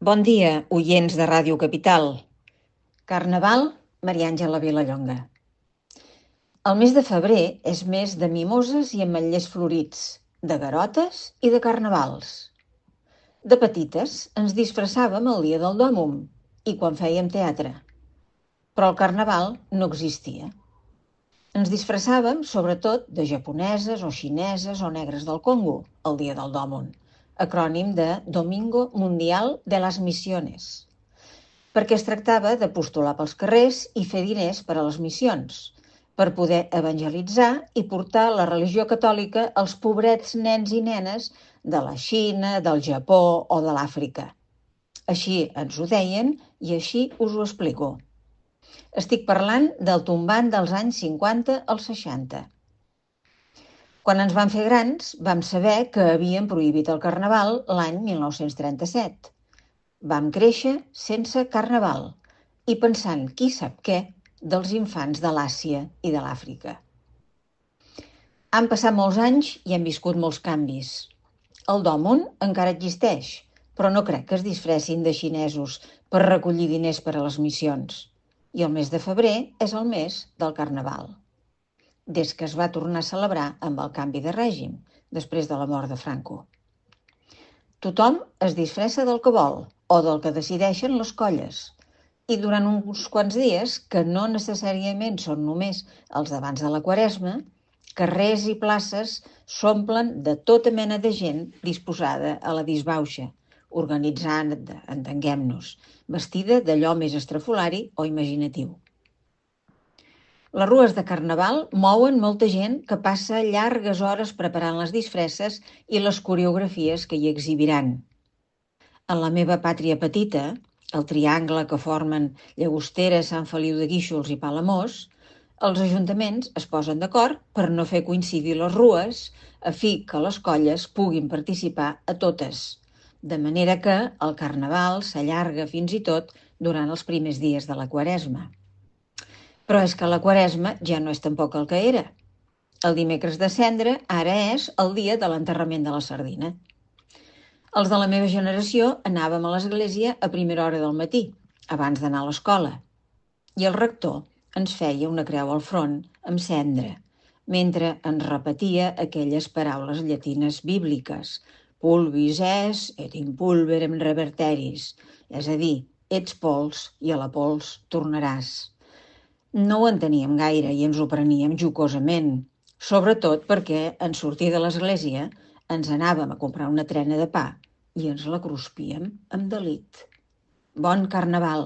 Bon dia, oients de Ràdio Capital. Carnaval, Maria Àngela Vilallonga. El mes de febrer és mes de mimoses i ametllers florits, de garotes i de carnavals. De petites ens disfressàvem el dia del Dòmum i quan fèiem teatre. Però el carnaval no existia. Ens disfressàvem sobretot de japoneses o xineses o negres del Congo el dia del Dòmum, acrònim de Domingo Mundial de las Misiones, perquè es tractava de postular pels carrers i fer diners per a les missions, per poder evangelitzar i portar la religió catòlica als pobrets nens i nenes de la Xina, del Japó o de l'Àfrica. Així ens ho deien i així us ho explico. Estic parlant del tombant dels anys 50 als 60. Quan ens vam fer grans, vam saber que havien prohibit el carnaval l'any 1937. Vam créixer sense carnaval i pensant qui sap què dels infants de l'Àsia i de l'Àfrica. Han passat molts anys i hem viscut molts canvis. El Dòmum encara existeix, però no crec que es disfressin de xinesos per recollir diners per a les missions. I el mes de febrer és el mes del carnaval, des que es va tornar a celebrar amb el canvi de règim, després de la mort de Franco. Tothom es disfressa del que vol o del que decideixen les colles. I durant uns quants dies, que no necessàriament són només els d'abans de la Quaresma, carrers i places s'omplen de tota mena de gent disposada a la disbauxa, organitzant, entenguem-nos, vestida d'allò més estrafolari o imaginatiu. Les rues de carnaval mouen molta gent que passa llargues hores preparant les disfresses i les coreografies que hi exhibiran. En la meva pàtria petita, el triangle que formen Llagostera, Sant Feliu de Guíxols i Palamós, els ajuntaments es posen d'acord per no fer coincidir les rues a fi que les colles puguin participar a totes, de manera que el carnaval s'allarga fins i tot durant els primers dies de la Quaresma. Però és que la Quaresma ja no és tampoc el que era. El dimecres de Cendra ara és el dia de l'enterrament de la sardina. Els de la meva generació anàvem a l'església a primera hora del matí, abans d'anar a l'escola, i el rector ens feia una creu al front amb cendra, mentre ens repetia aquelles paraules llatines bíbliques, pulvis es et in pulverem reverteris, és a dir, ets pols i a la pols tornaràs. No ho enteníem gaire i ens ho preníem jocosament, sobretot perquè en sortir de l'església ens anàvem a comprar una trena de pa i ens la cruspíem amb delit. Bon carnaval!